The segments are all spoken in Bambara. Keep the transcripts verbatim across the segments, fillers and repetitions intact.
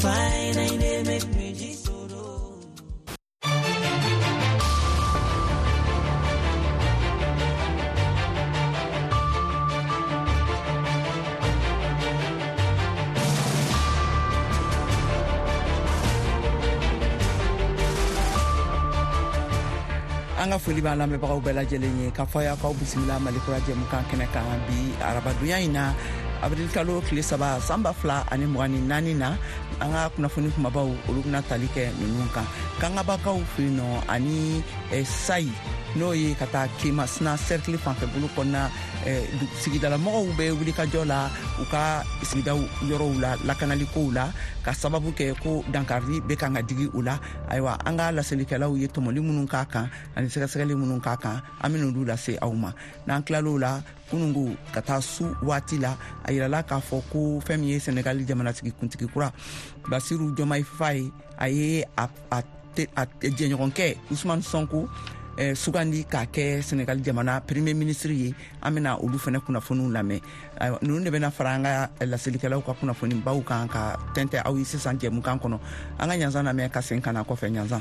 An ka foli b'an lamɛnbagaw bɛɛ lajɛlen ye k'a fɔ aw k'aw bisimila Mali Kura jɛmukan kɛnɛ kan bi arabadonya in na, avril kalo tile saba san ba fila ani mugan ni naani na. An ka kunnafoni kumabaw olu bɛna tali kɛ ninnu kan: Kangabakaw fɛ yen nɔ ani Sayi, n'o ye ka taa Kemasina cercle fanfɛ bolo kɔnɔna, sigidalamɔgɔw bɛ wulikajɔ la u ka sigidaw yɔrɔw la lakanalikow la, ka sababu kɛ ko dankarili bɛ kan ka digi u la. Ayiwa, an ka laselikɛlaw ye tɔmɔli minnu k'a kan ani sɛgɛsɛgɛli minnu k'a kan, an bɛn'olu lase aw ma. N'an tilal'o la, kunungo ka taa su waati la, a yirala k'a fɔ ko fɛn min ye Senegali jamanatigi kuntigi kura Basiru Diomaye Faye, a ye a a jɛɲɔgɔnkɛ Ousmane Sonko eh, sugandi k'a kɛ Senegali jamana premier ministre ye. An bɛna olu fɛnɛ kunnafoniw lamɛn. Ninnu de bɛna fara an ka laselikɛlaw ka kunnafonibaw kan ka tɛntɛ aw ye sisan jɛmukan kɔnɔ. An ka ɲanzan lamɛn ka sen ka na kɔfɛ. Ɲanzan.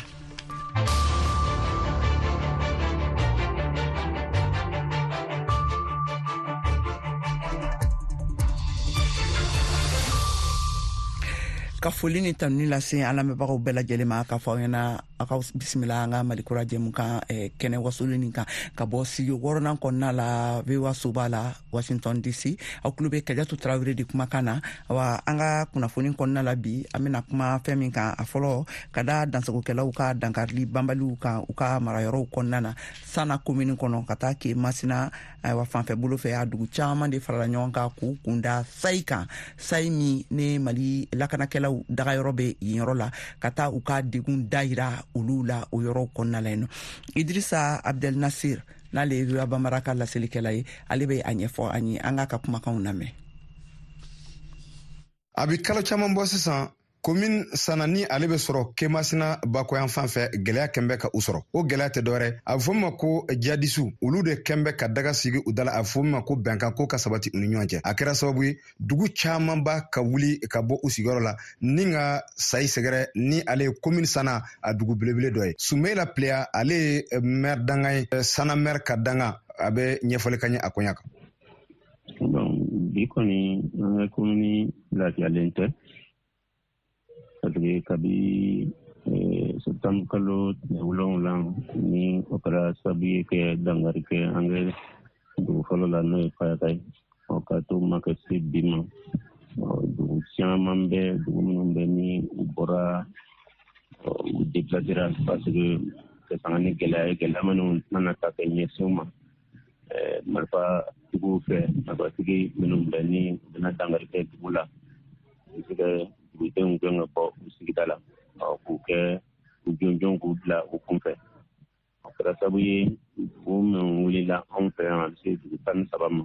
Ka foli ni tanuni lase an lamɛnbagaw bɛɛ lajɛlen ma k'a fɔ aw ɲɛna aw ka bisimila an ka Mali Kura jɛmukan kɛnɛ wasolen nin kan ka bɔ studio wɔɔrɔnan kɔnɔna la, V O A soba la, Washington D C. Aw tulo bɛ Kajatu Tarawele de kumakan na. Wa an ka kunnafoni kɔnɔna la bi, an bɛna kuma fɛn min kan, a fɔlɔ, ka da dansagokɛlaw ka dankarili banbaliw kan u ka marayɔrɔw kɔnɔna na, Sana komini kɔnɔ ka taa ke Masina, ayiwa, fanfɛ bolo fɛ, a dugu caman de farala ɲɔgɔn kan k'u kunda Sayi kan, Sayi min ne Mali lakanakɛlaw dagayɔrɔ bɛ yen yɔrɔ la, ka taa u ka degun dayira olu la o yɔrɔw kɔnɔna la yen nɔ. Idrissa Abdel Nasir, n'ale ye V O A Bambara ka laselikɛla ye, ale bɛ a ɲɛfɔ an ye. An k'a ka kumakanw lamɛn. A bi kalo caman bɔ sisan, komin Sana ni ale bɛ sɔrɔ Kemasina bakɔyan fan fɛ, gwɛlɛya kɛn bɛ ka u sɔrɔ. O gwɛlɛya tɛ dɔwɛrɛ, a bɛ fɔ min ma ko jihadisiw, olu de kɛn bɛ ka daga sigi u da la, a bɛ fɔ min ma ko bɛnkan ko ka sabati u ni ɲɔgɔn cɛ. A kɛra sababu ye dugu camanba ka wuli ka bɔ u sigiyɔrɔ la ni ka Sayi sɛgɛrɛ, ni ale ye komin Sana a dugu belebele dɔ ye. Sumela Pleya, ale ye maire dangan ye, Sana maire ka danga, a bɛ ɲɛfɔli ka ɲɛ a koɲa kan. Bi kɔni, an ka komini lafiyalen tɛ, parce que kabi septembre kalo tile wolonwula ni o kɛra sababu ye kɛ dankari kɛ an kɛ dugu fɔlɔ la, n'o ye Fayaka ye, ɔ ka to ma kɛ se bi ma, dugu caman bɛ, dugu minnu bɛ ni u bɔra, u déplacera, parce que ka sanga ni gɛlɛya ye, gɛlɛya minnu mana ta kɛ ɲɛsin u ma marifatigiw fɛ, marifatigi minnu bɛ ni u bɛna dankari kɛ dugu la, u bɛ se ka dugudenw gɛn ka bɔ u sigida la, k'u kɛ u jɔnjɔn k'u bila u kunfɛ. O kɛra sababu ye dugu minnu wulila anw fɛ yan, a bɛ se dugu tan ni saba ma,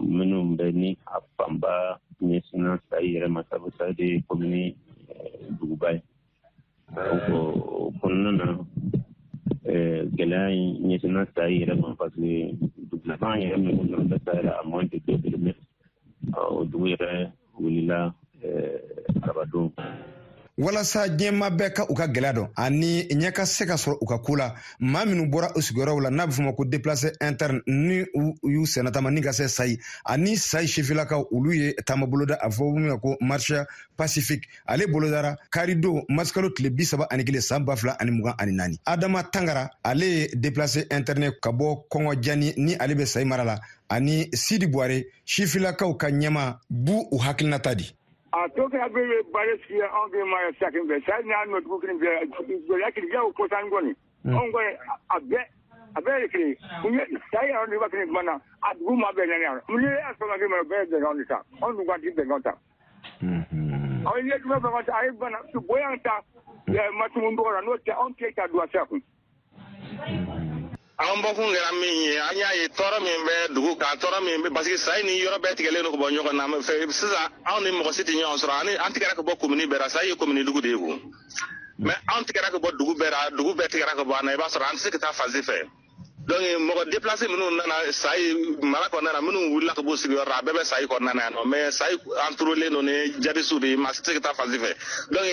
minnu bɛ ni a fanba ɲɛsinna Sayi yɛrɛ ma, sabu Sayi de ye komini duguba ye. Donc o kɔnɔna na, gɛlɛya in ɲɛsinna Sayi yɛrɛ ma, parce que dugu laban yɛrɛ min kɔnɔ bɛ Sayi la, à moins de deux kilomètres, o dugu yɛrɛ wulila arabadon. Walasa diɲɛma bɛɛ ka u ka gwɛlɛya dɔn ani ɲɛ ka se ka sɔrɔ u ka ko la, maa minnu bɔra u sigiyɔrɔw la, n'a bɛ fɔ ma ko déplacé interne, ni u y'u sennatama ni ka se Sayi ani Sayi sifilakaw, olu ye taama boloda, a fɔ min ma ko marche pacifique. Ale bolodara karidon marisikalo tile bi saba ani kelen san ba fila ani mugan ani naani. Adama Tangara, ale ye déplacé interne ka bɔ Kɔngɔ Jani, ni ale bɛ Sayi mara la, ani Sidi Buware, sifilakaw ka ɲɛma, b'u u hakilinata di. A to kɛ bɛ baara sigi anw kɛ ma sa fɛ sa n'a nɔ dugu kelen fɛ gɛlɛya kelen o kosan kɔni, anw kɔni a bɛɛ a bɛɛ ye kelen sa yɛrɛ ni waati tuma na a dugu ma bɛɛ ɲani ni y'a sɔrɔ kɛ ma bɛɛ ye bɛnkan de ta, anw dun ka ti bɛnkan ta. Aw ye jumɛn bɛnkan ta? A ye bana bonya ta matumun dɔgɔ la, n'o tɛ anw tɛ ta don a sira kun. An bɔkun kɛra min ye, an y'a ye tɔɔrɔ min bɛ dugu kan, tɔɔrɔ min bɛ, parce que Sayi ni yɔrɔ bɛɛ tigɛlen don ka bɔ ɲɔgɔn na fɛ. Sisan anw ni mɔgɔ si tɛ ɲɔgɔn sɔrɔ, ani an tigɛra ka bɔ komini bɛɛ la. Sayi ye komini dugu de ye ko, mais anw tigɛra ka bɔ dugu bɛɛ la, dugu bɛɛ tigɛra ka bɔ an na. I b'a sɔrɔ an tɛ se ka taa fan si fɛ. Donc mɔgɔ déplacé minnu nana Sayi mara kɔnɔna na, minnu wulila ka bɔ sigiyɔrɔ la, a bɛɛ bɛ Sayi kɔnɔna na yan nɔ. Mais Sayi entouré don ni jadisiw de ye, maa si tɛ se ka taa fan si fɛ. Donc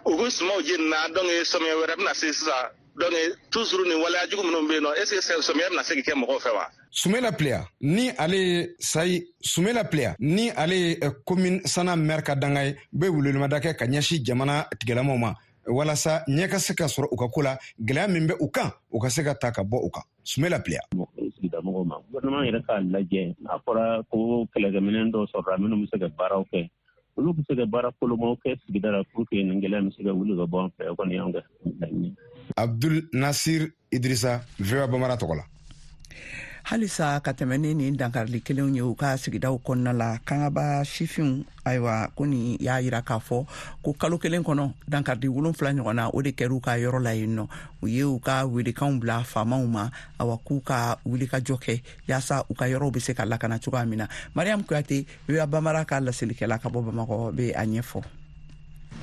u ko sumaw jenina, donc sɔmiya wɛrɛ bɛna se sisan. Donc toujours nin waleya jugu minnu bɛ yen nɔ, est ce que sɔmiya bɛna se ka kɛ mɔgɔw fɛ wa? Sumela Pleya ni ale ye Sayi, Sumela Pleya ni ale ye commune Sana maire ka danga ye, bɛ welewelemada kɛ ka ɲɛsin jamana tigilamaw ma walasa ɲɛ ka se ka sɔrɔ u ka ko la, gɛlɛya min bɛ u kan, u ka se ka ta ka bɔ u kan. Sumela Pleya. Sigida mɔgɔw ma, gouvernement yɛrɛ k'a lajɛ, n'a fɔra ko kɛlɛkɛminɛn dɔw sɔrɔla minnu bɛ se ka baaraw kɛ, olu bɛ se ka baara kolomaw kɛ sigida la pour que nin gɛlɛya bɛ se ka wuli ka bɔ an fɛ. O kɔni y'anw ka laɲini. Abdul Nasir Idrissa, V O A Bambara tɔgɔ la. Halisa ka tɛmɛ ni nin dankarili kelenw ye u ka sigidaw kɔnɔna la, Kangaba sifinw, ayiwa, ko nin y'a yira k'a fɔ ko kalo kelen kɔnɔ, dankarili wolonfila ɲɔgɔn na, o de kɛra u ka yɔrɔ la yen nɔ. U ye u ka welekanw bila faamaw ma, awa, k'u ka wulikajɔ kɛ yaasa u ka yɔrɔw bɛ se ka lakana cogoya min na. Mariam Kuyate, V O A Bambara ka laselikɛla ka bɔ Bamakɔ, bɛ a ɲɛfɔ.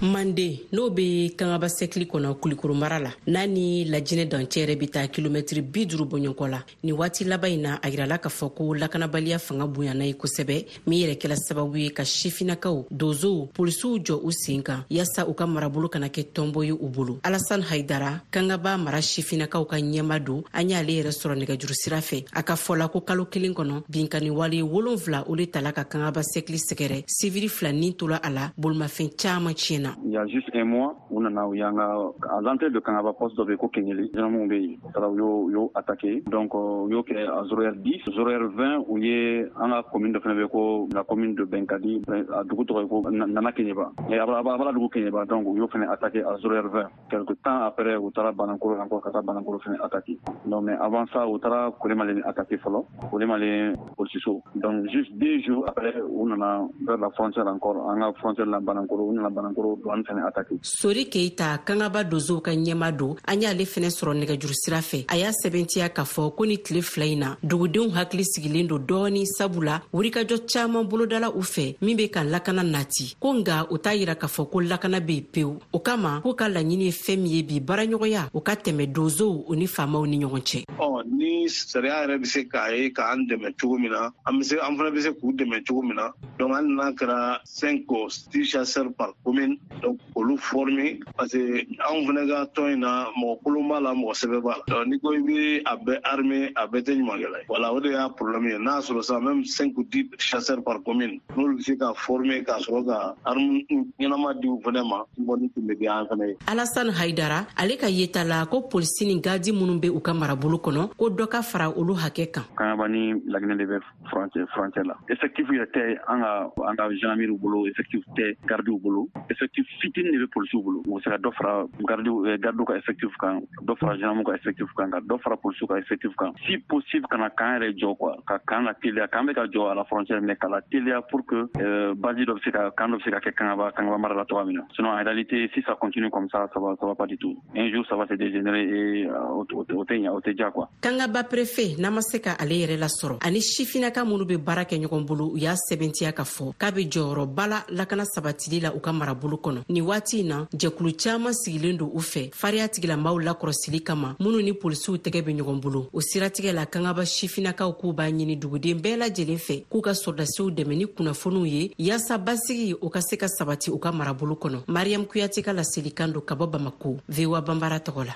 Mande, n'o be Kangaba sɛkili kɔnɔ, Kulikoro mara la, n'a ni Lajinɛ dancɛ yɛrɛ be taa kilomɛtiri bi duru bɔɲɔgɔnkɔ la, nin waati laban in na, a yirala k'a fɔ ko lakanabaliya fanga bonyana ye kosɛbɛ, min yɛrɛ kɛla sababu ye ka sifinakaw, donzow, polisiw jɔ u sen kan yaasa u ka marabolo kana kɛ tɔnbɔ ye u bolo. Alasan Haidara, Kangaba mara sifinakaw ka ɲɛma don, an y'ale yɛrɛ sɔrɔ nɛgɛjuru sira fɛ. A ka fɔ la ko kalo kelen kɔnɔ, binkani wale wolonfila, o le tala ka Kangaba sɛkili sɛgɛrɛ. Sivili fila nin tola a la, bolimafɛn caaman tiɲɛna. Il y a juste un mois, on a eu à l'entrée de Kangaba, poste dɔ bɛ ko Kenyeli, gendarmes bɛ yen, u taara u y'o u y'o attaqué. Donc u y'o kɛ à zéro heure dix, zéro heure vingt, u ye an ka commune dɔ fana bɛ ko la commune de Benkadi, a dugu tɔgɔ ye ko Nana Keɲeba, a b'a dugu Keɲeba. Donc u y'o fana attaqué à zéro heure vingt. Quelque temps après, u taara Banankoro encore, ka taa Banankoro fana attaqué. Donc mais avant ça, u taara Kolemale attaqué fɔlɔ, Kolemale polisiso. Donc juste deux jours après, u nana vers la frontière encore, an ka frontière la Banankoro, u nana Banankoro douane fana attaqué. Sori Keita, Kangaba dozow ka ɲɛma don, an y'ale fɛnɛ sɔrɔ nɛgɛjuru sira fɛ. A y'a sɛbɛntiya k'a fɔ ko ni tile fila in na, dugudenw hakili sigilen don dɔɔni, sabula wulikajɔ caaman bolodala u fɛ min be ka lakana nati ko. Nga o t'a yira k'a fɔ ko lakana be yen pewu. O kama k'u ka laɲini ye fɛn min ye bi, baaraɲɔgɔnya o ka tɛmɛ donzow o ni faamaw ni ɲɔgɔn cɛ. Ɔ, ni sariya yɛrɛ bɛ se k'a ye k'an dɛmɛ cogo min na, an bɛ se, an fana bɛ se k'u dɛmɛ cogo min na. Donc hali n'a kɛra cinq ou six chasseurs par commune, donc olu former, parce que anw fana ka tɔn in na, mɔgɔ kolon b'a la, mɔgɔ sɛbɛ b'a la. Donc n'i ko i bɛ a bɛɛ armer, a bɛɛ tɛ ɲumankɛla ye. Voilà, o de y'a problème ye. N'a sɔrɔ sisan même cinq ou dix chasseurs par commune, n'olu bɛ se ka former ka sɔrɔ ka arme ɲɛnama di u fana ma, kɔni tun bɛ diya an fana ye. Alasan Haidara, ale ka yeta la ko polisi ni gadi minnu be u ka marabolo kɔnɔ, ko dɔ ka fara olu hakɛ kan. Kangaba ni Laginɛ de bɛ frontière frontière la. Effectif yɛrɛ tɛ an ka an ka gendarmerie bolo, effectif tɛ gardiw bolo, effectif fitinin de bɛ polisiw bolo. U bɛ se ka dɔ fara gardiw gardiw ka effectif kan, dɔ fara gendarmew ka effectif kan, ka dɔ fara polisiw ka effectif kan, si possible ka na camp yɛrɛ jɔ quoi, ka camp la teliya. Camp bɛ ka jɔ à la frontière, mais ka la teliya pour que euh, base dɔ bɛ se ka camp dɔ bɛ se ka kɛ Kangaba Kangaba mara la cogoya min na. Sinon, en réalité, si ça continue comme ça, ça va ça va pas du tout. Un jour, ça va se dégénérer et o tɛ ɲa, o tɛ diya quoi. Kangaba préfet, n'a ma se ka ale yɛrɛ lasɔrɔ, ani sifinaka minnu bɛ baara kɛ ɲɔgɔn bolo, u y'a sɛbɛntiya k'a fɔ k'a bɛ jɔyɔrɔba la lakana sabatili la u ka marabolo kɔnɔ nin waati in na. Jɛkulu caaman sigilen don u fɛ fariya tigilamaw lakɔrɔsili kama, minnu ni polisiw tɛgɛ bɛ ɲɔgɔn bolo. O siratigɛ la, Kangaba sifinakaw k'u b'a ɲini duguden bɛɛ lajɛlen fɛ k'u ka sɔrɔdasiw dɛmɛ ni kunnafoniw ye yaasa basigi o ka se ka sabati u ka marabolo kɔnɔ. Mariam Kuyate ka laselikan don ka bɔ Bamako, V O A Banbara tɔgɔ la.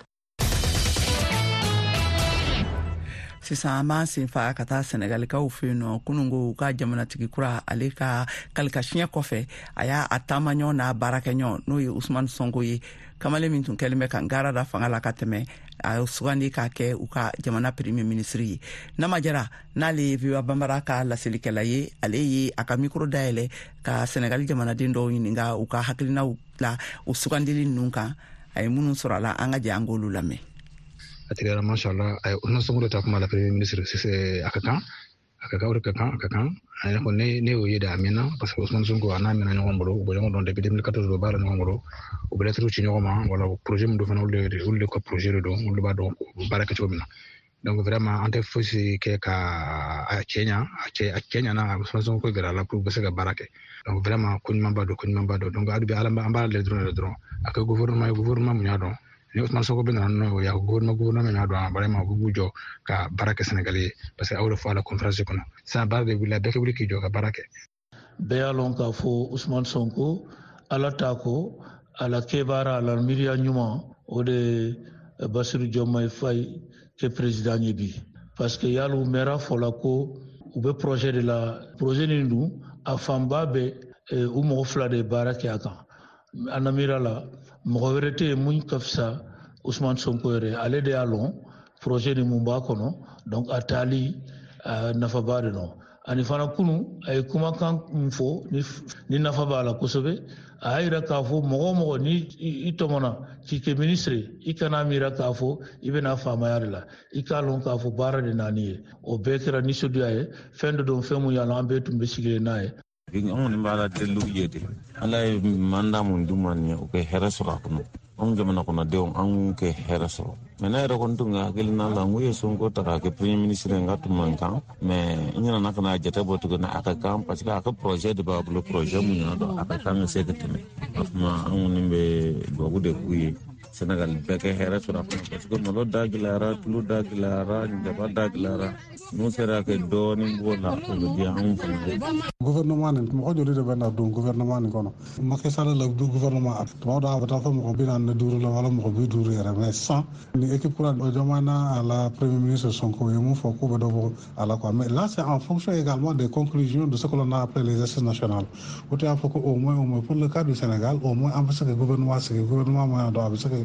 Sisan an b'an sen fa ka taa Sɛnɛgalikaw fɛ yen nɔ. Kununko, u ka jamanatigi kura, ale ka kalikasiɲɛ kɔfɛ, a y'a a taamaɲɔgɔn n'a baarakɛɲɔgɔn, n'o ye Usumani Sɔnko ye, kamalen min tun kɛlen bɛ ka gaara da fanga la ka tɛmɛ, a ye sugandi k'a kɛ u ka jamana premier ministre ye. Nama Jara, n'ale ye V O A Banbara ka laselikɛla ye, ale ye a ka micro dayɛlɛ ka Sɛnɛgali jamanaden dɔw ɲininka u ka hakilinaw la o sugandili ninnu kan. A ye minnu sɔrɔ a la, an ka jɛ an k'olu lamɛn. A tigɛra, mashallah. A ye Ousmane Sonko de ta kuma la premier ministre, a ka kan, a ka kan, o de ka kan, a ka kan. A yɛrɛ ko ne ne y'o ye de, a mɛnna, parce que Ousmane Sonko a n'a mɛnna ɲɔgɔn bolo, u bɛ ɲɔgɔn dɔn depuis deux mille quatorze, u bɛ baara ɲɔgɔn bolo, u bɛ lettre ci ɲɔgɔn ma. Wala projet min don fana, olu de olu de ka projet de don, olu de b'a dɔn u bɛ baara kɛ cogo min na. Donc vraiment, an tɛ fosi kɛ ka a cɛ ɲa, a cɛ a cɛ ɲana. Ousmane Sonko gɛrɛ a la pour u bɛ se ka baara kɛ. Donc vraiment, ko ɲumanba don, ko ɲumanba don. Donc hali bi, Ala, an b'a lajɛ dɔrɔn de dɔrɔn a kɛ gouvernement ye, gouvernement mun y'a dɔn. Ni Ousmane Sonko bɛ nana n'o ye, gouvernement gouvernement min y'a dɔn vraiment u b'u jɔ ka baara kɛ Sénégal ye, parce que aw de fɔ a la conférence kɔnɔ sisan, baara de wulila, bɛɛ ka wuli k'i jɔ ka baara kɛ. Bɛɛ y'a lɔn k'a fɔ Ousmane Sonko, ala ta ko ala kɛbaara, ala miiriya ɲuman, o de Bassirou Diomaye Faye kɛ président ye bi, parce que yali u mɛra fɔla ko u bɛ projet de la. Projet nin dun, a fanba bɛ u mɔgɔ fila de ye baara kɛ a kan. An na miira la, mɔgɔ wɛrɛ tɛ yen mun ka fisa Ousmane Sonko yɛrɛ. Ale de y'a lɔn projet ni mun b'a kɔnɔ. Donc a taali nafaba de nɔ. Ani fana, kunu a ye kumakan min fɔ ni nafa b'a la kosɛbɛ, a y'a yira k'a fɔ mɔgɔ o mɔgɔ ni i tɔmɔna k'i kɛ ministre, i kana miira k'a fɔ i bɛna faamaya de la, i k'a lɔn k'a fɔ baara de naani ye. O bɛɛ kɛra nisɔndiya ye. Fɛn dɔ don, fɛn mun y'a lɔn, an bɛɛ tun bɛ sigilen n'a ye. An kɔni b'a la deliw ye de, Ala ye mandat mun d'u ma nin ye, u ka hɛrɛ sɔrɔ a kɔnɔ. Anw jamana kɔnɔdenw, an k'u kɛ hɛrɛ sɔrɔ. Mais ne yɛrɛ kɔni tun ka hakilina la, n ko ye Sonko ta k'a kɛ premier ministre, n ka tun man kan. Mais n nana ka na jate bɔ tuguni, a ka kan, parce que a ka projet de b'a bolo, projet mun y'a dɔn a ka kan ka se ka tɛmɛ. O tuma an kɔni bɛ duwawu de k'u ye, Sénégal bɛɛ kɛ hɛrɛ sɔrɔ a kɔnɔ, parce que malo da gɛlɛyara, tulu da gɛlɛyara, jaba da gɛlɛyara. N'u sera kɛ dɔɔnin b'o la, o bɛ diya anw fana ye. Gouvernement nin, mɔgɔ joli de bɛ na don gouvernement nin kɔnɔ? Macky Sall la du gouvernement, tuma dɔ a bɛ taa fɔ mɔgɔ bi naani ni duuru la wala mɔgɔ bi duuru yɛrɛ. Mais sans ni équipe kura Diomaye n'a la premier ministre Sonko ye mun fɔ k'u bɛ dɔ bɔ a la quoi. Mais là, c'est en fonction également des conclusions de ce que l'on a appelé les assises nationales. O tɛ y'a fɔ ko au moins au moins pour le cas du Sénégal, au moins an bɛ se ka gouvernement sigi, gouvernement min y'a dɔn a bɛ se ka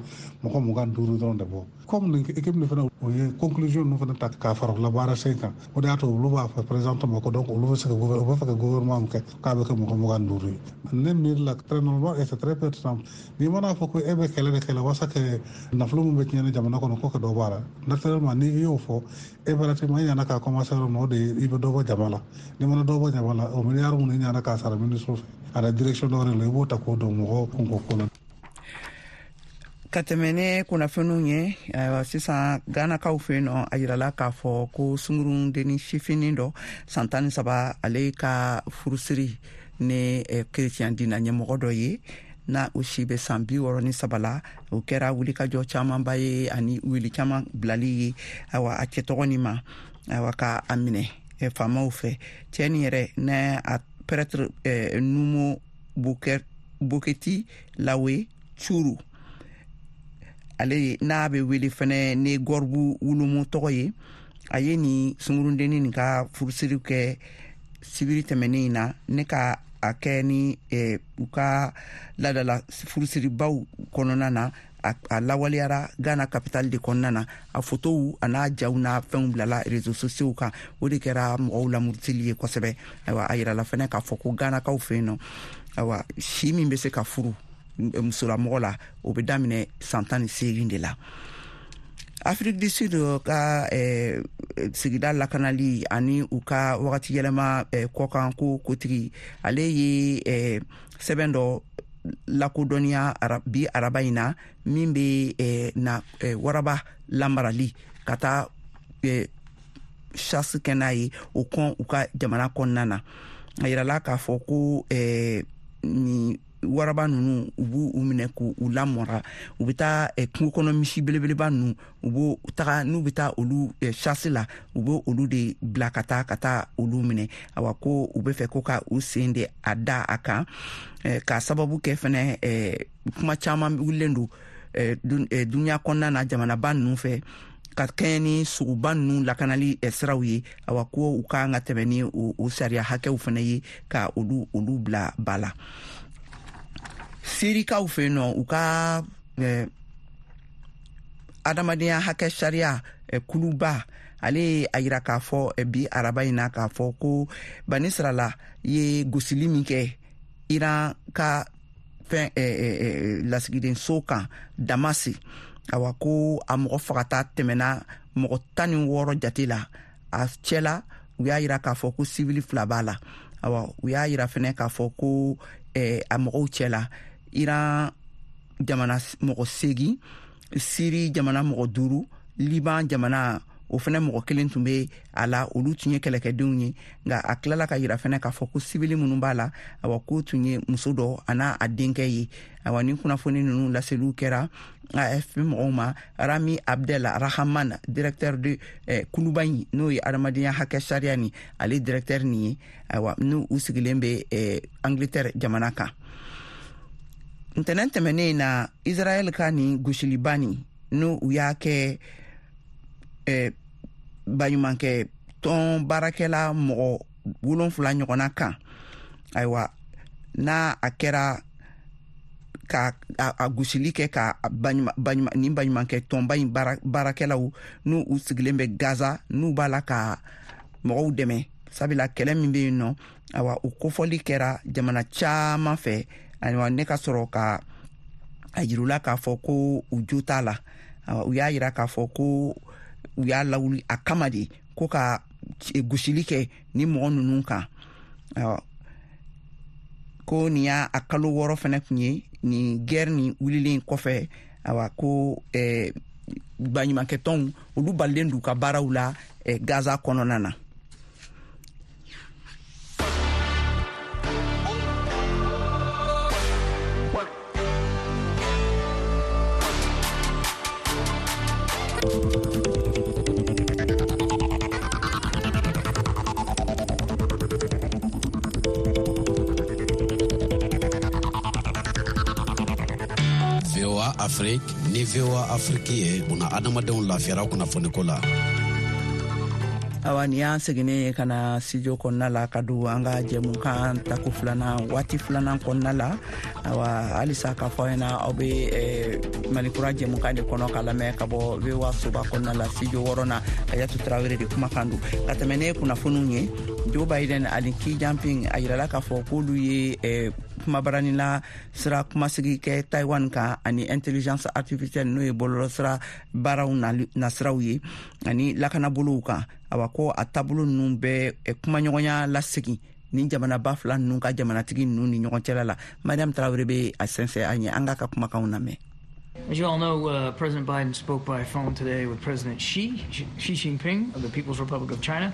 mɔgɔ mugan duuru dɔrɔn de bɔ. Comme nin équipe nin fana, o ye conclusion ninnu fana ta k'a fara u la baara sen kan, o de y'a to olu b'a fɔ présentement ko donc olu bɛ se ka u b'a fɛ ka gouvernement min kɛ, k'a bɛ kɛ mɔgɔ mugan duuru ye. Ne miiri la, très normal et c'est très pertinent. N'i mana fɔ ko e bɛ kɛlɛ de kɛlɛ walasa ka nafolo min bɛ tiɲɛ ni jamana kɔnɔ ko ka dɔ bɔ a la, naturellement n'i y'o fɔ, impérativement i ɲana k'a commencer yɔrɔ min na, o de ye i bɛ dɔ bɔ jama la. N'i mana dɔ bɔ jama la, o miliyari minnu i ɲana k'a sara ministre fɛ a la direction dɔ wɛrɛ la, i b'o ta k'o don mɔgɔw kunko ko la. Ka tɛmɛ ne kunnafoniw ye, ayiwa, sisan Ganakaw fɛ yen nɔ, a yirala k'a fɔ ko sungurundenni sifinin dɔ, san tan ni saba, ale ka furusiri ni kerecɛn dina ɲɛmɔgɔ dɔ ye n'a o si bɛ san bi wɔɔrɔ ni saba la, o kɛra wulikajɔ camanba ye ani wuli caman bilali ye. Ayiwa, a cɛ tɔgɔ nin ma, ayiwa, ka a minɛ faamaw fɛ. Cɛ nin yɛrɛ n'a a prêtre Numo Boketi Lawe Curu, ale n'a bɛ wele fɛnɛ ni Gɔribu Wulumu tɔgɔ ye, a ye nin sungurundenni nin ka furusiri kɛ sibiri tɛmɛnen in na, ne ka a kɛ ni eh, u ka ladala furusiribaw kɔnɔna na. a, a lawaleyara Ghana capitale de kɔnɔna na. A fotow a n'a jaw n'a fɛnw bilala réseaux sociaux kan, o de kɛra mɔgɔw lamurutili ye kosɛbɛ. Ayiwa, a yirala fɛnɛ k'a fɔ ko Ghanakaw fɛ yen nɔ, ayiwa, si min bɛ se ka furu musolamɔgɔ la, o bɛ daminɛ san tan ni seegin de la. Afrique du Sud ka eh, sigida lakanali ani u ka wagati yɛlɛma eh, kɔkan ko kotigi, ale ye eh, sɛbɛn dɔ lakodɔnniya bi araba in na, min bɛ eh, na eh, waraba lamarali ka taa eh, chasse kɛ n'a ye, o kɔn u ka jamana kɔnɔna na. A yirala k'a fɔ ko eh, nin waraba ninnu, u b'u u minɛ k'u lamɔra, u bɛ taa eh, kungo kɔnɔ misi belebeleba ninnu, u b'o taga n'u bɛ taa olu eh, chasse la, u b'o olu de bila ka taa ka taa olu minɛ. Awa, ko u bɛ fɛ ko ka u sen de a da a kan, eh, k'a sababu kɛ fɛnɛ eh, kuma caman wulilen don eh, dun, eh, duniya kɔnɔna na jamanaba ninnu fɛ ka kɛɲɛ ni sogoba ninnu lakanali eh, siraw ye. Awa, ko u kan ka tɛmɛ ni o, o sariya hakɛw fɛnɛ ye ka olu olu bila ba la. Sirikaw fɛ yen nɔ, u ka eh, adamadenya hakɛ sariya eh, kuluba, ale ye a yira k'a fɔ eh, bi araba in na k'a fɔ ko Banisirala ye gosili min kɛ Iran ka fɛn eh, eh, lasigidenso kan Damasi, awa, ko a mɔgɔ fagata tɛmɛna mɔgɔ tan ni wɔɔrɔ jate la. A cɛla, u y'a yira k'a fɔ ko sivili fila b'a la. Awa, u y'a yira fɛnɛ k'a fɔ ko eh, a mɔgɔw cɛ la, Iran jamana mɔgɔ seegin, Siri jamana mɔgɔ duuru, Liban jamana o fɛnɛ mɔgɔ kelen tun bɛ a la, olu tun ye kɛlɛkɛdenw ye. Nka a tilala ka yira fɛnɛ k'a fɔ ko sibili minnu b'a la, awa k'o tun ye muso dɔ a n'a a denkɛ ye. Awa ni kunnafoni ninnu laseliw kɛra A F P mɔgɔw ma. Rami Abdel Rahman, directeur de eh, kuluba in n'o ye adamadenya hakɛ sariya ni ale directeur nin ye, awa n'u u sigilen bɛ eh, Angleterre jamana kan. Ntɛnɛn tɛmɛnen na, Israël ka nin gosiliba nin n'u u y'a kɛ eh, baɲumankɛ tɔn baarakɛla mɔgɔ wolonfila ɲɔgɔnna kan, ayiwa n'a a kɛra ka a gosili kɛ ka nin baɲumankɛ tɔnba in baarakɛlaw n'u u sigilen bɛ Gaza, n'u b'a la ka mɔgɔw dɛmɛ sabula kɛlɛ min bɛ yen nɔ, awa o kofɔli kɛra jamana caman fɛ. Ayiwa ne ka sɔrɔ ka a yirula k'a fɔ ko u jo t'a la. Awa u y'a yira k'a fɔ ko u y'a lawuli a kama de ko ka gosili kɛ ni mɔgɔ ninnu kan. Awa ko nin y'a a kalo wɔɔrɔ fɛnɛ tun ye nin guerre nin wulilen kɔfɛ. Awa ko eh, baɲumankɛtɔnw olu balilen d'u ka baaraw la eh, Gaza kɔnɔna na. V O A Afrique ni V O A Afrique ye buna adamadenw lafiyara kunnafoniko la. Awa ni y'an seginnen ye ka na studio kɔnɔna la ka don an ka jɛmukan tako filanan waati filanan kɔnɔna la. Awa halisa k'a fɔ aw ɲɛna aw bɛ eh, Malikura jɛmukan de kɔnɔ ka lamɛn ka bɔ V O A soba kɔnɔna la studio wɔɔrɔ na. Kajatu Tarawele de kumakan don. Ka tɛmɛ ne kunnafoniw ye, Joe Biden ani Xi Jinping a yirala k'a fɔ k'olu ye eh, kumabaranila sira kumasigi kɛ Taiwan kan ani intelligence artificielle n'o ye bɔlɔlɔsira baaraw nasiraw ye ani lakanabolow kan. Awa ko a taabolo ninnu bɛ kumaɲɔgɔnya lasegin ni jamanaba fila ninnu ka jamanatigi ninnu ni ɲɔgɔn cɛla la. Mariam Tarawele bɛ a sɛnsɛn an ye, an k'a ka kumakanw lamɛn. As you all know, uh, President Biden spoke by phone today with President Xi, Xi Jinping of the People's Republic of China.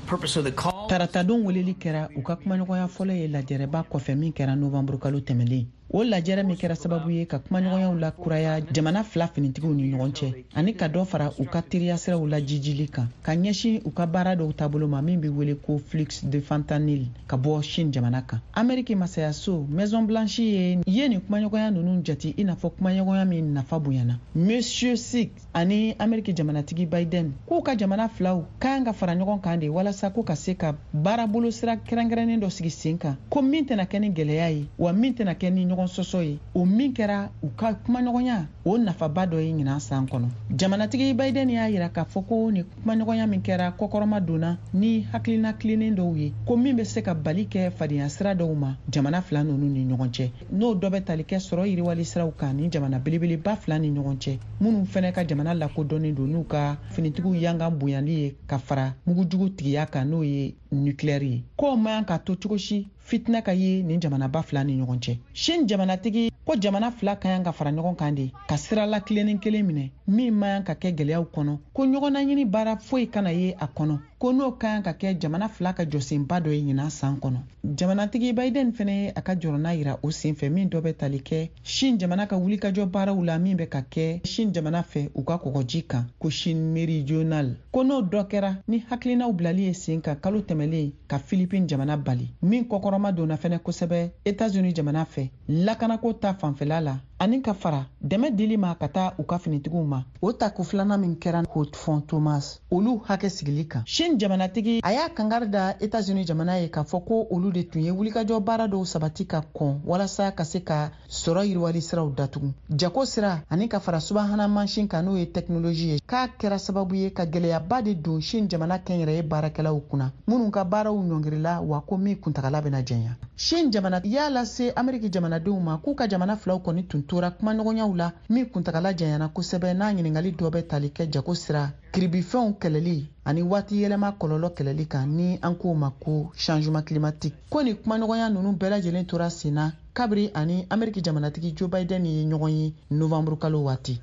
Purpose of the call. Taratadon weleli kɛra u ka kumaɲɔgɔnya fɔlɔ ye lajɛrɛba kɔfɛ min kɛra novanburu kalo tɛmɛlen. O lajɛrɛ min kɛra sababu ye ka kumaɲɔgɔnyaw lakuraya jamana fila finitigiw ni ɲɔgɔn cɛ ani ka dɔ fara u ka teriya siraw lajijili kan ka ɲɛsin u ka baara dɔw taabolo ma min bɛ wele ko flux de fentanyl ka bɔ Chine jamana kan. Ameriki masayaso Maison Blanche ye ye nin kumaɲɔgɔnya ninnu jate i n'a fɔ kumaɲɔgɔnya min nafa bonyana. Monsieur Xi ani Ameriki jamanatigi Biden k'u ka jamana filaw kan ka fara ɲɔgɔn kan de walasa ko ka se ka baarabolo sira kɛrɛnkɛrɛnnen dɔ sigi sen kan ko min tɛna kɛ ni gɛlɛya ye wa min tɛna kɛ ni ɲɔgɔn sɔsɔ ye. O min kɛra u ka kumaɲɔgɔnya o nafaba dɔ ye ɲinan san kɔnɔ. Jamanatigi Biden y'a yira k'a fɔ ko ni kumaɲɔgɔnya min kɛra kɔkɔrɔma donna ni hakilina tilennen dɔw ye ko min bɛ se ka bali kɛ fadenya sira dɔw ma jamana fila ninnu ni ɲɔgɔn cɛ, n'o dɔ bɛ tali kɛ sɔrɔ yiriwali siraw kan ni jamana belebeleba fila ni ɲɔgɔn cɛ minnu fɛnɛ ka jamana lakodɔnnen don n'u ka finitigiw yangan bonyali ye ka fara mugujugu tigiya kan n'o ye nucléaire ye. K'o man ka to cogo si fitina ka ye nin jamanaba fila ni ɲɔgɔn cɛ. Chine jamanatigi ko jamana fila ka kan ka fara ɲɔgɔn kan de ka sira la tilennen kelen minɛ min man ka kɛ gɛlɛyaw kɔnɔ, ko ɲɔgɔnnaɲini baara foyi kana ye a kɔnɔ, ko n'o ka kan ka kɛ jamana fila ka jɔsenba dɔ ye ɲinan san kɔnɔ. Jamanatigi Biden fɛnɛ ye a ka jɔrɔna yira o senfɛ min dɔ bɛ tali kɛ Chine jamana ka wulikajɔ baaraw la min bɛ ka kɛ Chine jamana fɛ u ka kɔgɔji kan ko Chine méridionale, ko n'o dɔ kɛra ni hakilinaw bilali ye sen kan kalo tɛmɛlen ka Philippines jamana bali min kɔkɔrɔma donna fɛnɛ kosɛbɛ États-Unis jamana fɛ lakanako ta fanfɛla la ani ka fara dɛmɛ dili ma ka taa u ka finitigiw ma. O tako filanan min kɛra Haute Fond Thomas olu hakɛ sigili kan. Chine jamanatigi a y'a kangari da États-Unis jamana ye k'a fɔ ko olu de tun ye wulikajɔ baara dɔw sabati ka kɔn walasa ka se ka sɔrɔ yiriwali siraw datugu, jago sira ani ka fara subahana mansin kan n'o ye tɛkinoloji ye, k'a kɛra sababu ye ka gɛlɛyaba de don Chine jamana kɛnyɛrɛye baarakɛlaw kunna minnu ka baaraw ɲɔngirila wa ko min kuntagala bɛna janya. Chine jamana y'a lase Ameriki jamanadenw ma k'u ka jamana filaw kɔni tun tora kumaɲɔgɔnyaw la min kuntagala janyana kosɛbɛ n'a ɲininkali dɔ bɛ tali kɛ jago sira kiribifɛnw kɛlɛli ani waati yɛlɛma kɔlɔlɔ kɛlɛli kan ni an k'o ma ko changement climatique. Ko ni kumaɲɔgɔnya ninnu bɛɛ lajɛlen tora sen na kabiri ani Ameriki jamanatigi Joe Biden ye ɲɔgɔn ye novembre kalo waati.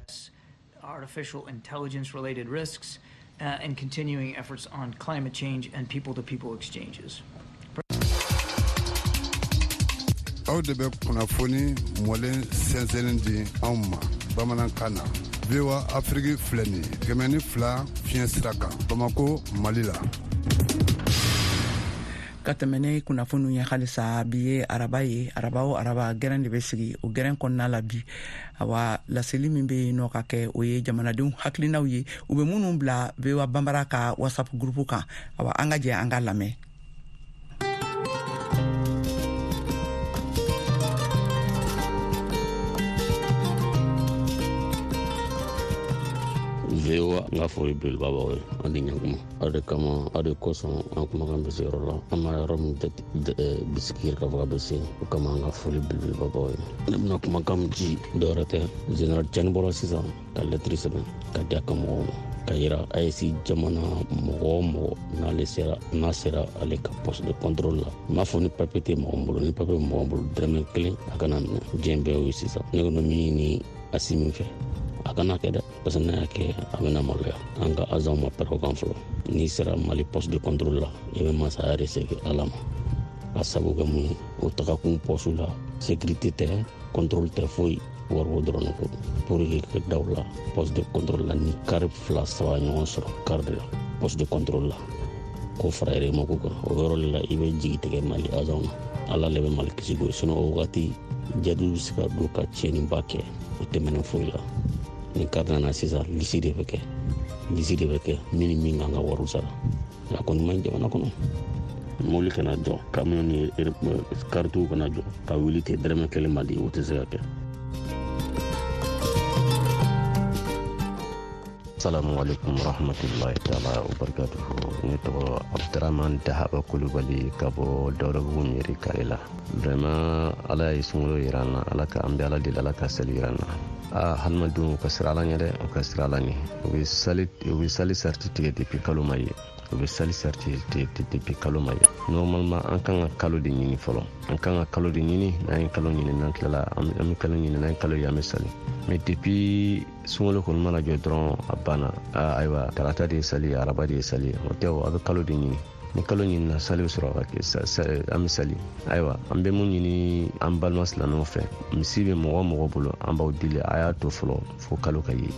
Artificial intelligence related risks, uh, and continuing efforts on climate change and people-to-people exchanges. Aw de bɛ kunnafoni mɔlen sɛnsɛnnen di anw ma bamanankan na. V O A Afrique filɛ nin ye kɛmɛ ni fila fiɲɛ sira kan Bamako, Mali la. Ka tɛmɛ ne kunnafoniw ye halisa, bi ye araba ye, araba o araba gɛrɛn de bɛ sigi. O gɛrɛn kɔnɔna la bi, awa, laseli min bɛ yen nɔ ka kɛ, o ye jamanadenw hakilinaw ye, u bɛ minnu bila V O A Banbara ka WhatsApp groupe kan. Awa, an ka jɛ an ka lamɛn. V O A, n ka foli belebeleba b'aw ye, an ni ɲankuma. Aw de kama, aw de kosɔn an kumakan bɛ se yɔrɔ la, an ma yɔrɔ min bisigi k'a fɔ k'a bɛ se, o kama an ka foli belebeleba b'aw ye. Ne bɛna kumakan min ci, dɔwɛrɛ tɛ, Général Tiani bɔra sisan ka lɛtiri sɛbɛn ka di a ka mɔgɔw ma, ka yira A E S jamana mɔgɔ o mɔgɔ n'ale sera n'a sera ale ka poste de contrôle la. N b'a fɔ ni papier tɛ mɔgɔ min bolo, ni papier bɛ mɔgɔ min bolo, dɔrɔmɛ kelen a kana minɛ. Diɲɛ bɛɛ y'o ye sisan. Ne kɔni min ɲini Assimi fɛ, a kana kɛ dɛ, parce que n'a y'a kɛ a bɛna maloya. An ka agent ma pɛrɛn o kan fɔlɔ. N'i sera Mali poste de contrôle la, i bɛ masaya de segin Ala ma. A sabu kɛ mun ye, o tagakun poste la, sécurité tɛ, contrôle tɛ, foyi, wariko dɔrɔn ko. Pour que ka da o la, poste de contrôle la, ni kari fila saba ɲɔgɔn sɔrɔ kari de la, poste de contrôle la, k'o fara yɛrɛmako kan, o yɔrɔ de la i bɛ jigi tigɛ Mali agent na. Ala le bɛ Mali kisi ko, sinon o wagati jadiw bɛ se ka don ka tiɲɛniba kɛ, o tɛmɛnen foyi la. Ni kari nana sisan, lisi de bɛ kɛ, lisi de bɛ kɛ min ni min kan ka wariw sara. A kɔni man ɲi jamana kɔnɔ. Mobili kana jɔ, camion ni karitiw kana jɔ, ka wuli ten dɔrɔmɛ kelen ma di, o tɛ se ka kɛ. Assalamu alaikum warahmatullahi ta'ala wabarakatuhu. Ne tɔgɔ Abdurahman Dahaba Kulubali ka bɔ Dawudabugu Mairie kare la. Vraiment Ala ye sunkalo yira an na, Ala ka an bɛ Ala deli, Ala ka seli yira an na. Aa, hadamadenw u ka siran Ala ɲɛ dɛ, u ka siran Ala ɲɛ. U bɛ sali u bɛ sali sariti tigɛ depuis kalo ma ye. U bɛ sali sariti tigɛ depuis kalo ma ye. Normalement an kan ka kalo de ɲini fɔlɔ. An kan ka kalo de ɲini, n'an ye kalo ɲini, n'an tilala an bɛ kalo ɲini, n'an ye kalo ye an bɛ sali. Mais depuis sunkalo kɔni mana jɔ dɔrɔn a banna. Aa, ayiwa, tarata de ye sali ye, araba de ye sali ye. O tɛ o, a bɛ kalo de ɲini. Ni kalo ɲinina, sali bɛ sɔrɔ ka kɛ, an bɛ sali. Ayiwa, an bɛ mun ɲini an balima silamɛw fɛ, misi bɛ mɔgɔ o mɔgɔ bolo, an b'aw deli, a y'a to fɔlɔ fo kalo ka ye.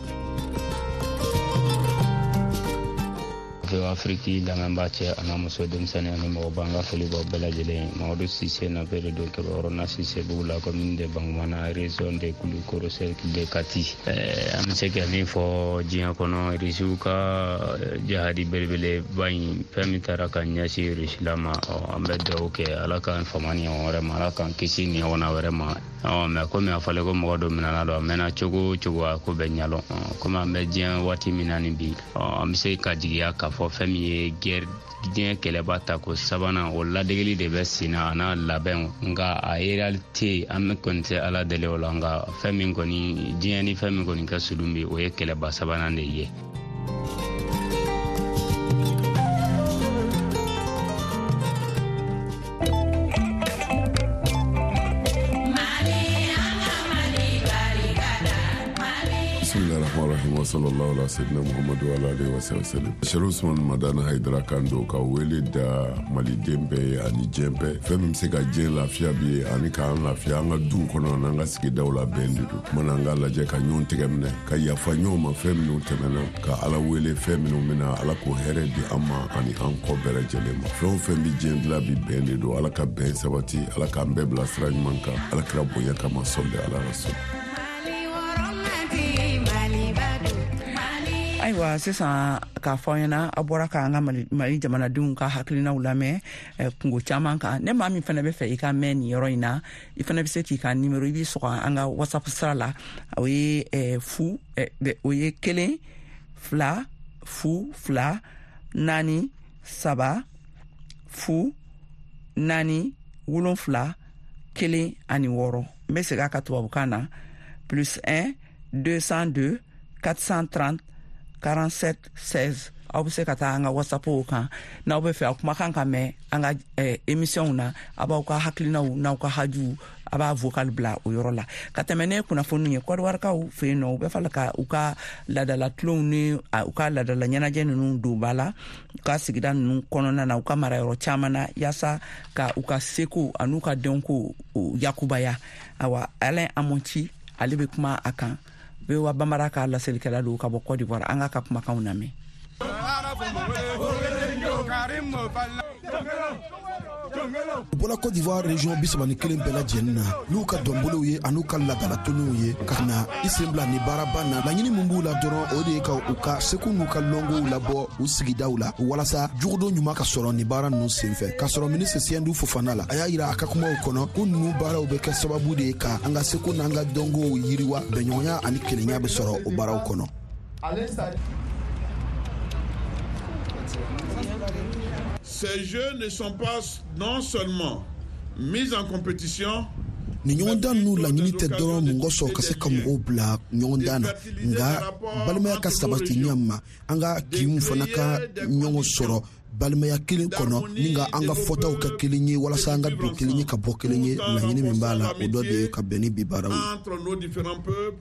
V O A Afrique lamɛnbaa cɛ a n'a muso, denmisɛnnin ani mɔgɔba, n ka foli b'aw bɛɛ lajɛlen. Mamadu Sise Nape de don, Kɛbɛyɔrɔ Sise Bugu la, commune de Bankumana, région de Kulukoro, cercle de Kati. An bɛ se ka min fɔ diɲɛ kɔnɔ, Irisiw ka jahadi belebeleba in, fɛn min taara ka ɲɛsin Irisila ma, an bɛ dugawu kɛ Ala k'an fama ni ɲɔgɔn wɛrɛ ma, Ala k'an kisi ni ɲɔgɔnna wɛrɛ ma. Mɛ komi a fɔlen ko mɔgɔ dɔ minɛna don, a mɛnna cogo o cogo a ko bɛ ɲalɔn. Komi an bɛ diɲɛ waati min na ni bi, an bɛ se ka jigiya k'a fɔ fɛn min ye guerre, diɲɛ kɛlɛba ta ko sabanan, o ladegeli de bɛ sen na a n'a labɛnw. Nka a réalité, an bɛ kɔni tɛ Ala deli o la, nka fɛn min kɔni diɲɛ ni fɛn min kɔni ka surun bi, o ye kɛlɛba sabanan de ye. Sallallahu ala sayyidina Muhammadu wa alihi wa sallam. Sherif Usman Madani Haidara kan don ka wele da maliden bɛɛ ye ani diɲɛ bɛɛ. Fɛn min bɛ se ka diɲɛ lafiya bi ye ani k'an lafiya an ka duw kɔnɔ n'an ka sigidaw la, bɛn de don. Mana an ka lajɛ ka ɲɔgɔn tɛgɛ minɛ, ka yafa ɲɔgɔn ma fɛn minnu tɛmɛna, ka Ala wele fɛn minnu bɛna, Ala k'o hɛrɛ di an ma ani an kɔ bɛɛ lajɛlen ma. Fɛn o fɛn bɛ diɲɛ dilan bi, bɛn de don. Ala ka bɛn sabati, Ala k'an bɛɛ bila sira ɲuman kan, Ala kira bonya kama, sɔli ala rasul. Ayiwa, sisan k'a fɔ an ɲɛna, a bɔra k'an ka Mali jamanadenw ka hakilinaw lamɛn kungo caman kan. Ne maa min fana bɛ fɛ i ka mɛn nin yɔrɔ in na, i fana bɛ se k'i ka nimero, i b'i sɔgɔ an ka WhatsApp sira la. O ye fu, o ye kelen fila fu fila naani saba fu naani wolonfila kelen ani wɔɔrɔ. N bɛ segin a ka tubabukan na, plus un deux cent deux quatre cent trente quarante-sept seize. Aw bɛ se ka taa an ka WhatsApp kan n'aw bɛ fɛ aw kumakan ka mɛn an ka eh, émission na. A b'aw ka hakilinaw n'aw ka hajuw A b'a vocal bila o yɔrɔ la. Ka tɛmɛ ne kunnafoniw ye, Kɔdiwarikaw fɛ yen nɔ, u bɛ fɛ ka u ka laadala tulonw ni u ka laadala ɲɛnajɛ ninnu don ba la u ka sigida ninnu kɔnɔna na, u ka marayɔrɔ caman na, yaasa ka u ka seko an'u ka dɔnko yakubaya. Awa, Alain Amonti, ale bɛ kuma a kan. V O A Bambara ka laselikɛla don ka bɔ Côte d'Ivoire. An k'a ka kumakanw lamɛn. U bɔra Côte d'Ivoire région bi saba ni kelen bɛɛ lajɛlen na n'u ka dɔnbolow ye an'u ka laadalatɔnniw ye ka na i sen bila ni baaraba na. Laɲini min b'u la dɔrɔn, o de ye ka u ka seko n'u ka lɔngow labɔ u sigidaw la walasa jogodon ɲuman ka sɔrɔ ni baara ninnu senfɛ. K'a sɔrɔ minisiri Siyɛndu Fofana la, a y'a yira a ka kumaw kɔnɔ ko ninnu baaraw bɛ kɛ sababu de ye ka an ka seko n'an ka dɔnkow yiriwa, bɛnɲɔgɔnya ani kelenya bɛ sɔrɔ o baaraw kɔnɔ. Ces jeux ne sont pas non seulement mis en compétition, ni ɲɔgɔndan ninnu laɲini tɛ dɔrɔn mɔgɔ sɔrɔ ka se ka mɔgɔw bila ɲɔgɔndan na, nka balimaya ka sabati ɲɛ ma, an ka kinw fana ka ɲɔgɔn sɔrɔ balimaya kelen kɔnɔ, ni ka an ka fɔtaw kɛ kelen ye walasa an ka don kelen ye ka bɔ kelen ye. Laɲini min b'a la, o dɔ de ye ka bɛn ni bi baaraw ye. Entre nos différents peuples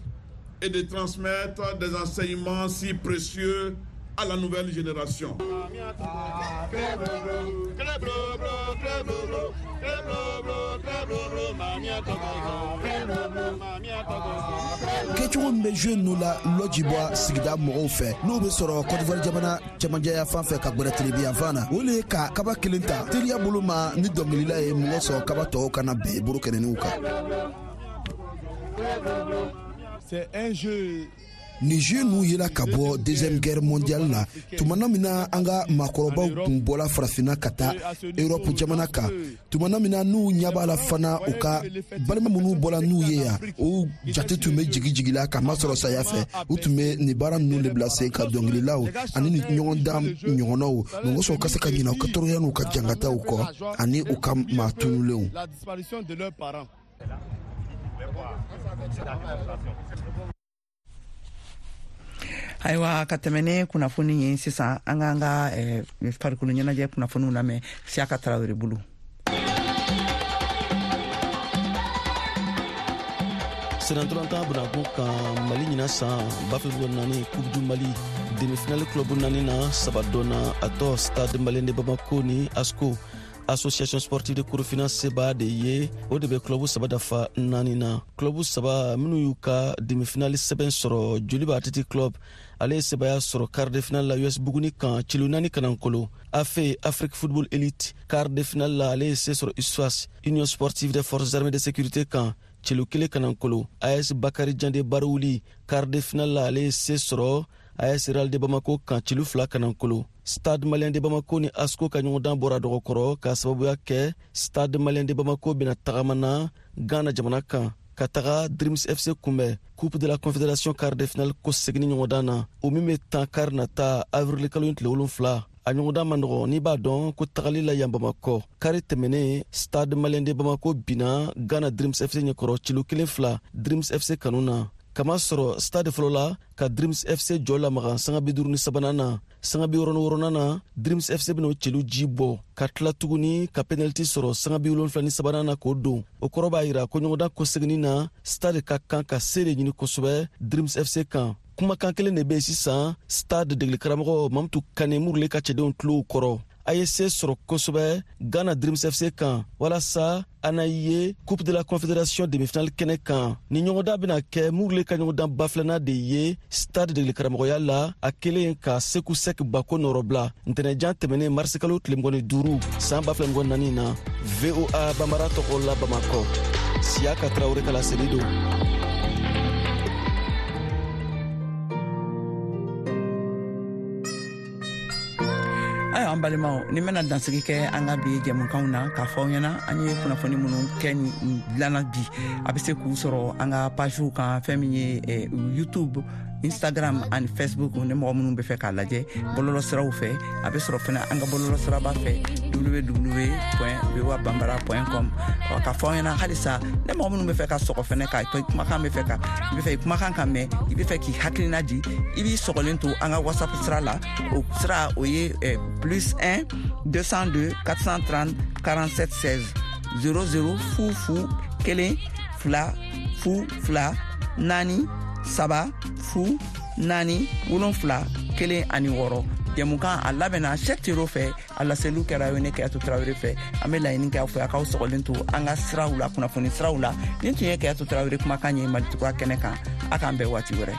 et de transmettre des enseignements si précieux à la nouvelle génération. Kɛcogo min bɛ jeu ninnu la lɔjibɔ sigida mɔgɔw fɛ, n'o bɛ sɔrɔ Côte d'Ivoire jamana cɛmancɛya fan fɛ ka gwɛrɛ tilebin fan na, o le ye ka kaba kelen ta teriya bolo ma ni dɔnkilila ye mɔgɔ sɔrɔ kaba tɔw kana bɛn bolo kɛnɛninw kan. C'est un jeu. Ni jeu ninnu yela ka bɔ deuxième guerre mondiale la, tumana min na an ka maakɔrɔbaw tun bɔla farafinna ka taa Europe jamana kan, tumana min na n'u ɲɛ b'a la fana u ka balima minnu bɔla n'u ye yan, o jate tun bɛ jigi jigi la k'a masɔrɔ saya fɛ. U tun bɛ nin baara ninnu de bila sen ka dɔnkililaw ani ni ɲɔgɔndan ɲɔgɔnnaw mɔgɔ sɔrɔ ka se ka ɲinɛ u ka tɔɔrɔya n'u ka jangataw kɔ ani u ka maa tunulenw. Ayiwa, ka tɛmɛ ne kunnafoni ye sisan, an k'an ka eh, farikolo ɲɛnajɛ kunnafoniw lamɛn Siyaka Tarawele bolo. Senatɔrɔntan bunakun kan Mali ɲina san ba fila naani Coupe du Mali demi-finale club naani na saba dɔnna, a tɔ Stade Malien de Bamako ni ASCO Association sportive de Korofina seba de ye, o de bɛ club saba dafa naani na. Club saba minnu y'u ka demi-finale sɛbɛn sɔrɔ, Joliba Athletic Club ale ye sebaya sɔrɔ quart de finale la U S Buguni kan celu naani kanankolo. A F E Afrique Football Elite quart de finale la ale ye se sɔrɔ U S F A S Union Sportive des Forces Armées de Sécurité kan celu kelen kanankolo. A S Bakari Jande Barouli quart de finale la ale ye se sɔrɔ A S Real de Bamako kan celu fila kanankolo. Stade Malien de Bamako ni ASCO ka ɲɔgɔndan bɔra dɔgɔkɔrɔ k'a sababuya kɛ Stade Malien de Bamako bɛna tagama na Ghana jamana kan ka taga Dreams F C kunbɛn Coupe de la Confédération quart de finale ko seginni ɲɔgɔndan na, o min bɛ tan kari nata avril kalo in tile wolonfila. A ɲɔgɔndan man nɔgɔn n'i b'a dɔn ko tagali la yan Bamakɔ. Kari tɛmɛnen Stade Malien de Bamako binna Ghana Dreams F C ɲɛkɔrɔ celu kelen fila Dreams F C kanu na. Kama sɔrɔ stade fɔlɔ la ka Dreams F C jɔ lamaga sanga bi duuru ni sabanan na. Sanga bi wɔɔrɔ ni wɔɔrɔnan na Dreams F C bɛna o celu ji bɔ ka tila tuguni ka penalty sɔrɔ sanga bi wolonfila ni sabanan na k'o don. O kɔrɔ b'a yira ko ɲɔgɔndan kɔseginni na stade ka kan ka se de ɲini kosɛbɛ Dreams F C kan. Kumakan kelen de bɛ yen sisan stade degeli karamɔgɔ Mamutu Kane Murule ka cɛdenw tulow kɔrɔ. A ye se sɔrɔ kosɛbɛ Ghana Dreams F C kan walasa a na ye Coupe de la Confédération demi-finale kɛnɛ kan. Ni ɲɔgɔndan bɛna kɛ Murule ka ɲɔgɔndan ba filanan de ye stade degeli karamɔgɔya la, a kelen ka Seku Sek Bako nɔrɔbila ntɛnɛjan tɛmɛnen marisikalo tile mugan ni duuru san ba fila mugan naani na. V O A Bambara tɔgɔ la Bamakɔ, Siyaka Tarawele ka laseli don. Ayiwa, an balimaw, ni bɛna dansigi kɛ an ka bi jɛmukanw na k'a fɔ aw ɲɛna an ye kunnafoni minnu kɛ dilanna bi, a bɛ se k'u sɔrɔ an ka pagew kan, fɛn min ye YouTube, Instagram ani Facebook. Ni mɔgɔ minnu bɛ fɛ k'a lajɛ bɔlɔlɔ siraw fɛ, a bɛ sɔrɔ fana an ka bɔlɔlɔ siraba fɛ w w w point voa bambara point com. K'a fɔ aw ɲɛna halisa, ni mɔgɔ minnu bɛ fɛ ka sɔgɔ fɛnɛ ka kumakan bɛ fɛ ka i bɛ fɛ kumakan ka mɛn, i bɛ fɛ k'i hakilina di, i b'i sɔgɔlen to an ka WhatsApp sira la. O sira o ye plus un deux cent deux quatre cent trente quarante-sept seize zéro zéro fu fu Kelen fila fu fila naani saba fu naani wolonfila kelen ani wɔɔrɔ. Jɛmukan a labɛnna Cheick Tero fɛ, a laseliw kɛra ye ne Kayatu Tarawele fɛ. An bɛ laɲini kɛ aw fɛ, a k'aw sɔgɔlen to an ka siraw la, kunnafoni siraw la. Nin tun ye Kayatu Tarawele kumakan ye Mali Kura kɛnɛ kan. A k'an bɛn waati wɛrɛ.